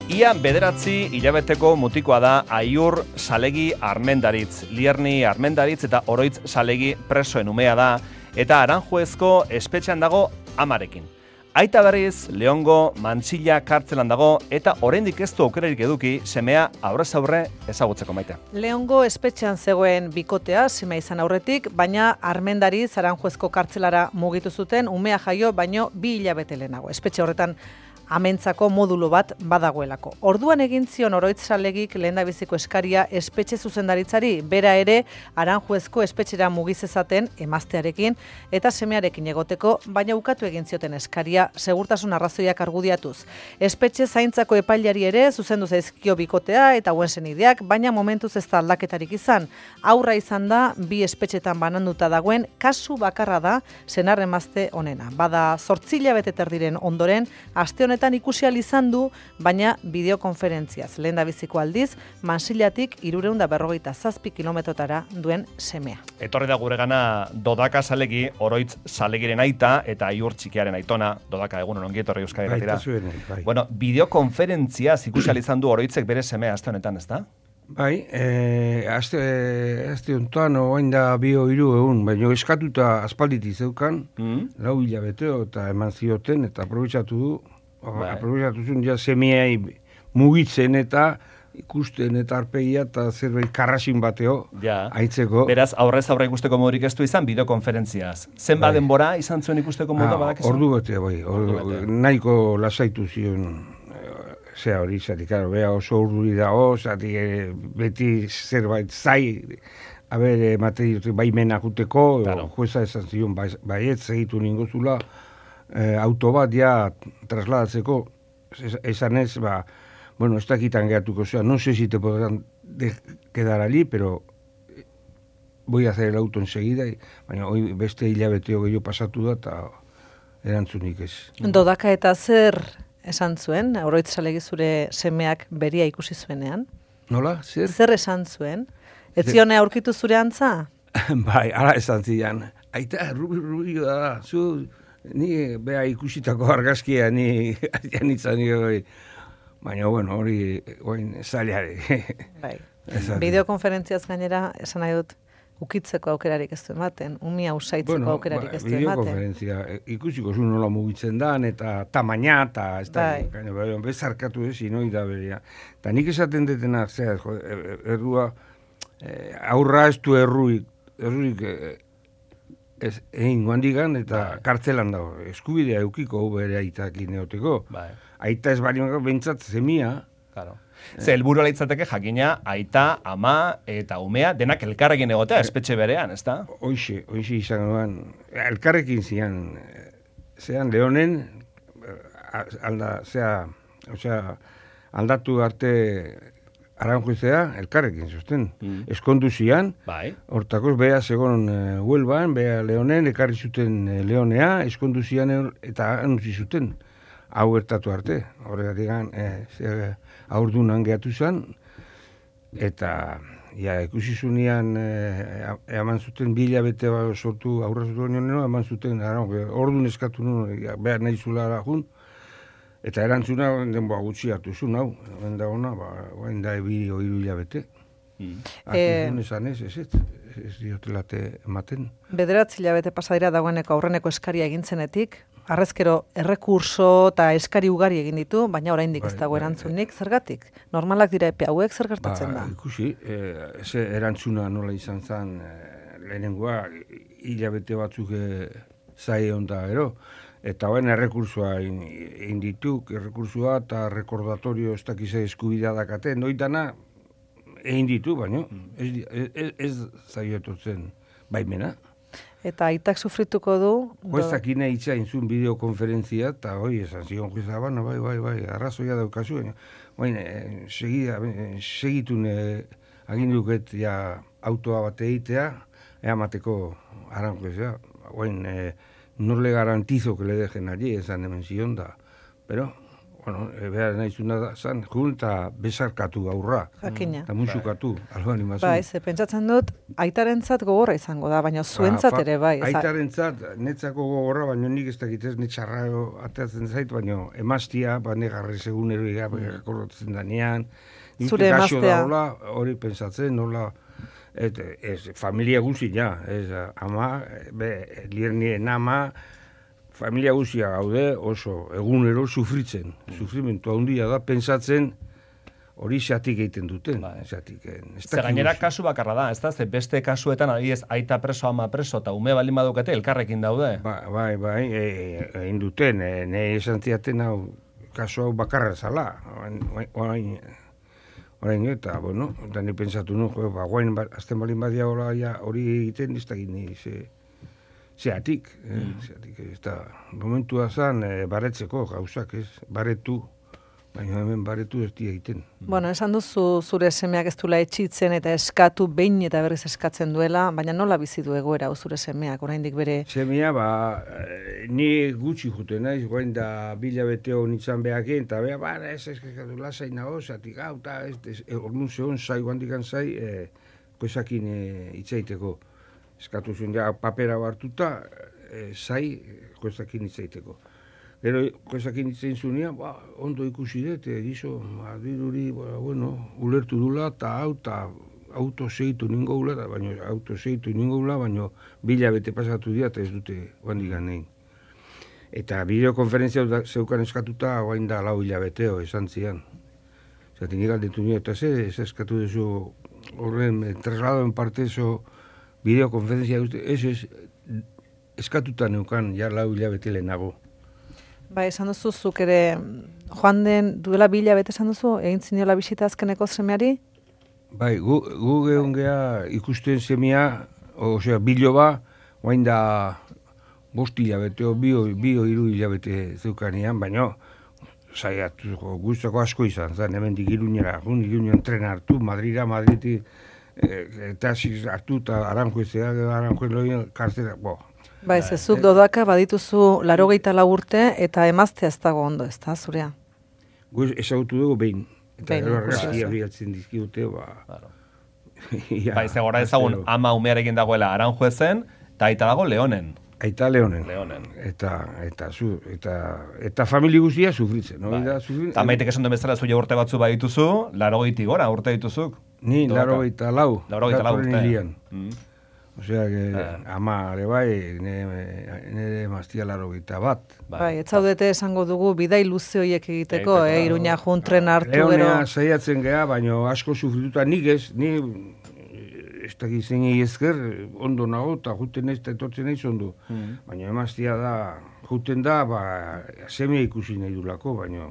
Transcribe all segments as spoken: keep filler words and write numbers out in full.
Ia bederatzi hilabeteko mutikoa da Aiur Salegi Armendaritz, Lierni Armendaritz eta Oroitz Salegi presoen umea da, eta Aranjuezko espetxean dago amarekin. Aita berriz, Leongo Mantxilla kartzelan dago, eta oraindik ez du aukerarik eduki semea aurrez aurre ezagutzeko, Maite. Leongo espetxean zegoen bikotea, semea izan aurretik, baina Armendaritz Aranjuezko kartzelara mugitu zuten, umea jaio, baino bi hilabete lehenago. Espetxe horretan amentzako modulo bat badagoelako. Orduan egin zion Oroitz Salegik lehendabiziko eskaria espetxe zuzendaritzari, bera ere Aranjuezko espetxera mugizezaten emaztearekin eta semearekin egoteko, baina ukatu egin zioten eskaria segurtasun arrazoiak argudiatuz. Espetxe zaintzako epailari ere zuzendu zaizkio bikotea eta hauen senideak, baina momentuz ez da aldaketarik izan. Aurra izan da bi espetxetan bananduta dagoen kasu bakarra da senar emazte honena. Bada zortzi hilabete terdiren ondoren, aste honetan ikusi ahal izan du, baina bideokonferentziaz. Lehendabiziko aldiz, Mansillatik hirurehun eta berrogeita zazpi kilometrotara duen semea. Etorri da guregana Dodaka Salegi, Oroitz Salegiren aita eta Aiur txikiaren aitona. Dodaka, egunon ongi etorri Euskadi Irratira. Bai. Bueno, bideokonferentziaz ikusi ahal izan du Oroitzek bere semea aste honetan, ezta? Bai, eh, aste, aste honetan oain da bio hiru egun, baina eskatuta aspalditik zeukan, mm? lau hilabeteo eta eman zioten, eta aprobetxatu du, bai. aprobetxatu zuen ja semeai mugitzen eta ikusten eta arpegia eta zerbait karrasin bateo ja. Aitzeko. Beraz, aurrez aurre ikusteko modurik ez du izan bideokonferentziaz. Zenba bai. denbora izan zuen ikusteko modua ah, badakizu? Ordu bete, bai. Ordu, nahiko lasaitu zion zea hori, zati, karo, beha oso urduri dago, zati, beti zerbait zai, haber, materi baimena juteko, claro. Jueza esan zion, baiet, segitu ningozula, eh, auto bat ja trasladatzeko, esan ez, ba, bueno, ez dakitan gehatuko, zera, no sé si te podrán quedar allí, pero voy a hacer el auto enseguida, baina hoi beste hilabeteo gehiago pasatu da, eta erantzunik ez. Dodaka eta zer esan zuen, Oroitz Salegi zure semeak beria ikusi zuenean? Nola, zer? Zer esan zuen? Ez zione aurkitu zure antza? Bai, ala esan zidan. Aita, rubi, rubi da, zu, ni beha ikusitako argazkia, ni janitzan nire, baina, bueno, hori, oin, zaileare. Bai, bideokonferentziaz gainera, esan nahi dut, ukitzeko aukerarik ez du ematen, umia usaitzeko bueno, aukerarik ez du ematen. Bideokonferentzia, ikusiko zu nola mugitzen dan, eta tamaina, eta ez da, bai. bezarkatu ez, inoi da berea. Eta nik esaten detena, zera, errua, eh, aurra ez du erruik, erruik ez, egin guandigan, eta bai. Kartzelan dago, eskubidea eukiko bere aitakin neoteko. Bai. Aita ez bari bentsat zemia, claro. Ze helburua litzateke jakina aita, ama eta umea denak elkarrekin egotea espetxe berean, ezta? Hoixe, hoixe izan duan, elkarrekin zian, zean Leonen, alda, zea, osea, aldatu arte Aranjuezea, elkarrekin zuzten. Mm. Eskondu zian, bai. Hortakoz, beha segon uh, Huelban, beha Leonen, ekarri zuten uh, Leonea, eskondu zian eta anutzi zuten. Hau gertatu arte, horregatik gan, eh, aurdunan gehatu zen, eta ja, ikusi zunean eh, eman zuten bila bete sortu aurra zuten nionero, eman zuten, ordun eskatu nuen, behar nahi zulara jun, eta erantzuna denboa gutxi hartu zuen, hau, hemen da ona, ba, hain da ebi oiru hilabete. Mm. Hartu zuen esan ez, ez, ez, ez diotelate ematen. Bederatzi hilabete pasadira dagoeneko aurreneko eskaria egintzenetik, arrezkero errekurso eta eskari ugari egin ditu, baina oraindik ez dago erantzunik, zergatik? Normalak dira epe hauek zer gertatzen ba, da? Ikusi, eh, ze erantzuna nola izan zen eh, lehenengoa, hilabete batzuk eh, zai onda ero, eta hoen errekursoa egin dituk, errekursua eta rekordatorio ez dakize eskubidea dakate, noitana egin ditu, baina ez, ez, ez zaiototzen baimena. Eta aitak sufrituko du... Juezak ina itxain zuen bideokonferentzia, eta hoi, esan zion jueza, bana, bai, bai, bai, arrazoia daukazu, baina, eh, segida, eh, segitun eh, aginduket ja autoa bat egitea, eamateko Aranjuezea, baina, eh, no le garantizo que le dejen allí, esan hemen zion da, pero, bueno, behar nahizuna da, zan, jun eta besarkatu aurra. Jakina. Eta musukatu, alba animazio. Bai, ze pentsatzen dut, aitarentzat gogorra izango da, baina zuentzat Ba, ere bai. ez da- Aitarentzat, netzako gogorra, baina nik ez dakit ez, netxarra atatzen zait, baina emaztia, ba, negarrez egunero igakorrotzen danean. Nik Zure gaxo emaztea. daola, hori pentsatzen, nola, et, ez, familia guzi, ja, ez, ama, be, liernien ama, familia guzia gaude oso egunero sufritzen. Sufrimentu handia da, pentsatzen hori xatik egiten duten. Bai. Xatik, eh, ez Ze dakit gainera guzi. kasu bakarra da, ez da? Ze beste kasuetan, adibidez, aita preso, ama preso, eta ume baldin badukate, elkarrekin daude. Ba, bai, bai, e, egin duten, e, nahi esan ziaten hau, kasu hau bakarra zala. Orain, orain, orain eta, bueno, eta ni pentsatu nu, jo, ba, guain, ba, azten balin badia hola, ja, hori egiten, ez dakit ni, ze, zeatik, eh, zeatik, ez da, momentua zan, e, baretzeko gauzak, ez, baretu, baina hemen baretu ez di egiten. Bueno, esan duzu zure semeak ez duela etxitzen eta eskatu behin eta berriz eskatzen duela, baina nola bizi du egoera hau zure semeak, oraindik bere... Semia, ba, eh, ni gutxi jute naiz, guain da bila beteo nintzen behakin, eta beha, ba, ez eskakatu lasai nago, zatik, hau, eta ez, ez, e, orduan zehon zai, guandikan zai, e, koezakin e, itzaiteko. Eskatu zuen, ja, papera hartuta, e, zai, koezakin itzaiteko. Gero, koezakin itzain zunean, ba, ondo ikusi dut, e, gizo, ba, diruri, ba, bueno, ulertu dula, eta hau, eta auto segitu ningo gula, baina auto segitu ningo gula, baina bila bete pasatu dira, eta ez dute guandikan nahi. Eta bideokonferentzia da- zeukan eskatuta, guain da lau hilabeteo esan zian. Zaten nik aldetu nio, eta ze, ez eskatu duzu horren eh, trasladoen parte zo bideokonferentzia guzti, ez ez, eskatuta neukan, ja lau hilabete lehenago. Ba, esan duzu, zuk ere joan den duela bi hilabete esan duzu, egin ziniola bisita azkeneko semeari? Bai, gu, gu gehun geha ikusten semia, osea, biloba, guain da bost hilabeteo, bio, bio hiru hilabete zeukanean, baina saiatu guztako asko izan, zan, hemen Iruñera, jun Iruñan tren hartu, Madrira, Madriti, eh, taxis hartu, eta Aranjuezea, Aranjuez loien karzera, bo. Ba, ez zuk dodaka badituzu larogeita lau urte eta emaztea ez dago ondo, ez da, zurea? Gu ezagutu dugu behin, eta Behin, gero ikusi argazkia duzu. bilatzen dizkigute, ba... Claro. ja, Bai, ze gora ezagun astero. ama umearekin dagoela Aranjuezen, eta aita dago Leonen. Aita Leonen. Leonen. Eta, eta, zu, eta, eta famili guztia sufritzen, no? Bai. Da, sufritzen. Eta maitek esan duen bezala zu urte batzu badituzu, larogeitik gora urte dituzuk. Ni, Dodaka. laro eta lau. Laurogeita lau datorren urte. hirian. Mm. Osea, que, Ah. ama, ere bai, nire, nire maztia laro eta bat. Bai, ez zaudete esango dugu bidai luze horiek egiteko, Egiteko, eh, Iruña jun tren hartu gero. Leonea saiatzen geha, baina asko sufrituta nik ez, ni ez dakit zeinei ezker, ondo nago, eta juten ez, eta etortzen naiz ondo. Mm. Baina emaztia da, juten da, ba, semia ikusi nahi dulako, baina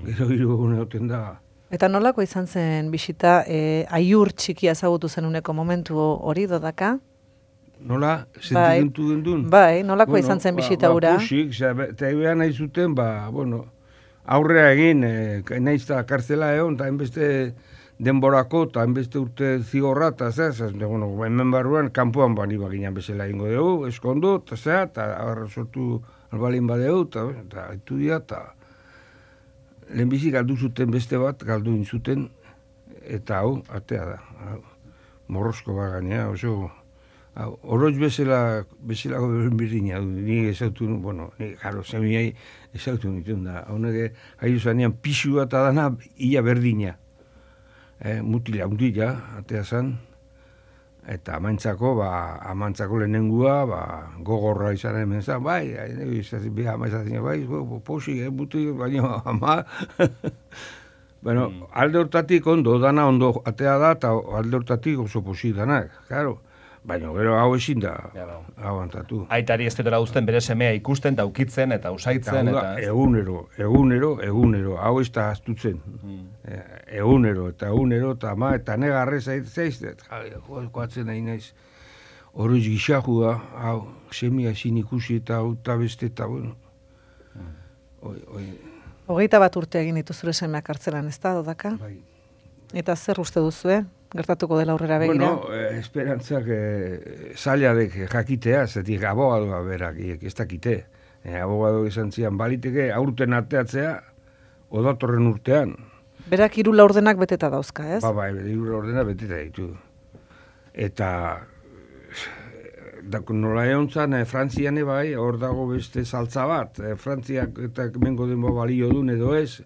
gero hiru egun egoten da. Eta nolako izan zen bisita, eh, aiur txikia ezagutu zenuneko momentu hori dodaka? Nola, Bai. sentimentu gendun? Bai, nolako izan zen bisita ba, hura? Ba, pusik, eta ebean nahi zuten, ba, bueno, aurrea egin, eh, nahiz eta kartzela egon, eta hainbeste denborako, eta hainbeste urte zigorra, eta zera, zera, bueno, hemen barruan, kanpoan bani baginan bezala ingo dugu, eskondu, eta zera, eta agarra sortu albalin badeu, eta, eta haitu dira, eta lehenbizi galdu zuten beste bat, galdu inzuten, eta hau, atea da, hau, morrosko bagania, oso, hau, oroitz bezala, bezalako berdina, ni ezautu, bueno, ni, jaro, semiai ezautu nituen da, honek, haiu zanean, pixua eta dana, ia berdina, eh, mutila, mutila, atea zan, eta amantzako, ba, amantzako lehenengua, ba, gogorra izan hemen zan, bai, izatzen, beha, ama izatzen, bai, bo, posik, eh, mutil, baina, ama, bueno, mm. alde hortatik ondo, dana ondo atea da, eta alde hortatik oso posik danak, claro, baina gero hau ezin da, Ja, hau antatu. Aitari ez dutela uzten bere semea ikusten, eta ukitzen, eta usaitzen, Eta hau eta... da, egunero, egunero, egunero, hau ez da astutzen. Eh, egunero, eta egunero, eta ma, eta negarrez aitzaiz, eta koatzen nahi naiz, horoiz gixajua, hau, semia ezin ikusi eta hau eta beste, eta bueno. Oi, oi, Hogeita bat urte egin ditu zure semeak kartzelan, ez da, dodaka? bai. Eta zer uste duzue? Gertatuko dela aurrera begira? Bueno, eh, esperantzak eh, zailadek jakitea, zetik abogadoa berak, ez dakite. Eh, abogado esan zian, baliteke aurten arteatzea, odatorren urtean. Berak hiru laurdenak beteta dauzka, ez? Ba, bai, hiru laurdenak beteta ditu. Eta da, nola egon zan, eh, Frantzian bai, hor dago beste saltza bat. Eh, Frantziak eta mengo denbo balio duen edo ez,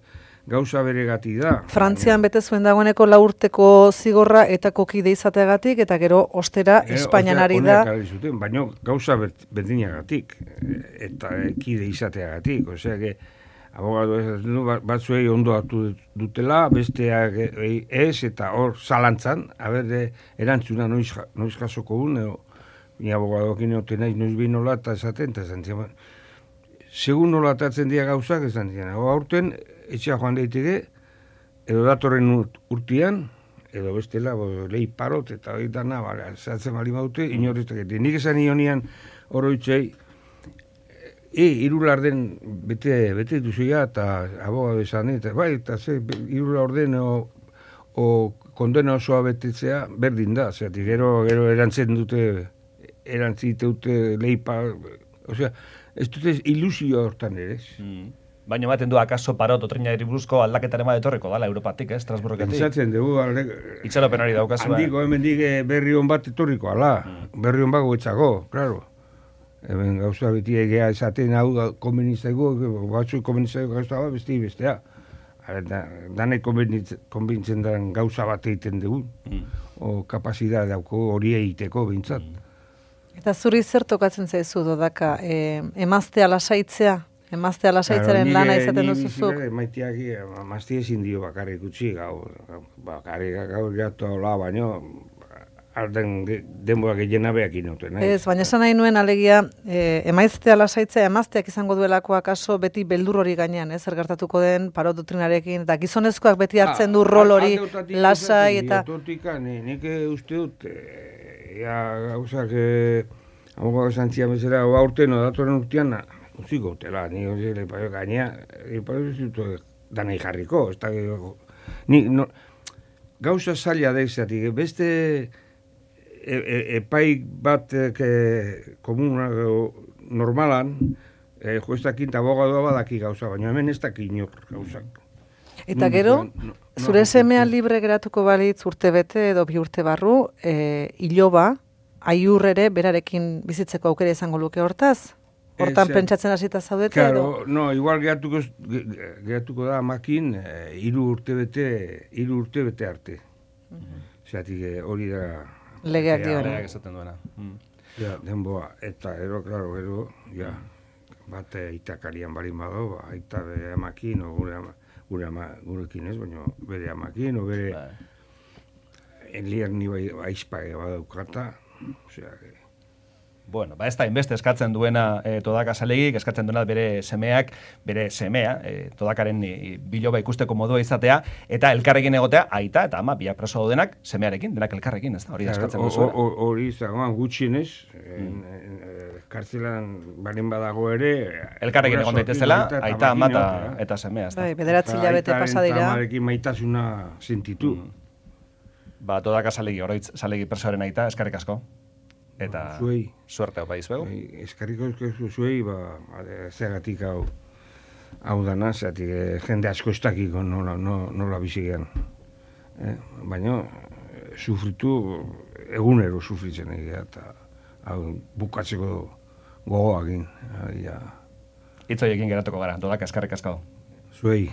gauza beregatik da. Frantzian bete zuen dagoeneko lau urteko zigorra eta kokide izateagatik, eta gero ostera Espainian ari da. Zuten, baina gauza berdinagatik, eta kide izateagatik. Osea, que abogado batzuei ondo hartu dutela, besteak ez, eta hor zalantzan, haber, erantzuna noiz, noiz jasoko un, ni abogadokin egoten naiz, noiz behin nola eta esaten, eta esan zian, segun nola atatzen dira gauzak, esan zian, aurten, etxea joan daiteke, edo datorren urtian, edo bestela, bo, lehi parot, eta hori dana, bale, zehatzen bali baute, inorreztak. Nik esan ionean oroitzei, e, irular den bete, bete duzuia, eta abogado esan, eta bai, eta ze, irular den o, o kondena osoa betetzea, berdin da, zeatik, gero, gero erantzen dute, erantzite dute lehi parot, osea, ez dute ilusio hortan ere, ez? Mm. Baina ematen du akaso parot otrinari buruzko aldaketaren bat etorriko dala Europatik, eh, Estrasburgetik. Pentsatzen dugu, alde... Itxaropenari daukazu. Handiko, hemen dige berri hon bat etorriko, ala. Mm. Berri hon bat goetzako, klaro. Hemen gauza beti egea esaten hau konbenizaigu, batzuk konbenizaigu gauza bat, besti bestea. Da, danek konbintzen den gauza bat egiten dugu. Mm. O kapazidad dauko hori egiteko bintzat. Mm. Eta zuri zer tokatzen zaizu dodaka, e, emaztea lasaitzea? Emaztea lasaitzaren claro, lana izaten duzuzuk? Maiteak, emazte ezin dio bakarrik utzi, gau, bakarrik gau gatu hola, baino, arden denboak egin abeak inoten. Ez, baina esan nahi nuen alegia, e, emaztea lasaitzea, emazteak izango duelako akaso beti beldur hori gainean, ez, zer gertatuko den parot doktrinarekin, eta gizonezkoak beti hartzen du rol hori lasai, eta... Totika, nik uste dut, ja, gauzak, hau esan zian bezala, aurten, odatoren urtean, utziko utela, ni hori lepaio gainea, lepaio zitu danai jarriko, ez da, ni, no, gauza zaila da izatik, beste e, e, epai bat e, komuna normalan, e, joestakin eta abogadoa badaki gauza, baina hemen ez daki inor gauzak. Eta gero, no, no, zure semea libre geratuko balitz urte bete edo bi urte barru, e, iloba, aiur ere berarekin bizitzeko aukera izango luke hortaz? Hortan es, pentsatzen hasita zaudete claro, edo? No, igual geratuko, geratuko da makin hiru urte bete, hiru urte bete arte. Zeratik uh-huh. hori da... Legeak dioena. Legeak esaten duena. Mm. Ja, denboa, eta ero, klaro, ero, ja, bat itakarian balin bado, ba, aita bere amakin, o gure, ama, gure ama, gurekin ez, baina bere amakin, o bere ba. Enlierni bai, aizpage badaukata, osea, Bueno, ba ez da inbeste eskatzen duena e, Todaka Salegik, eskatzen duena bere semeak, bere semea, e, Todakaren e, biloba ikusteko modua izatea, eta elkarrekin egotea, aita eta ama, biak preso daudenak, semearekin, denak elkarrekin, ez da, hori da eskatzen duzuela. Hori zagoan gutxienez, kartzelan balin badago ere... Elkarrekin egon daitezela, aita, ama eta semea, ez da. Bai, bederatzi hilabete pasa dira. Eta amarekin maitasuna sentitu. Ba, Todaka Salegi, oroitz Salegi presoaren aita, eskarrik asko. Eta zuei. Suerte hau baiz begu. Eskarriko eskarriko zuei, ba, zeagatik hau, hau dana, zeatik eh, jende asko ez dakiko nola, nola, nola bizigean. Eh? Baina, sufritu, egunero sufritzen egia, eta hau bukatzeko gogoakin. Ja. Itzoiekin geratuko gara, Todaka eskarrik asko. Zuei.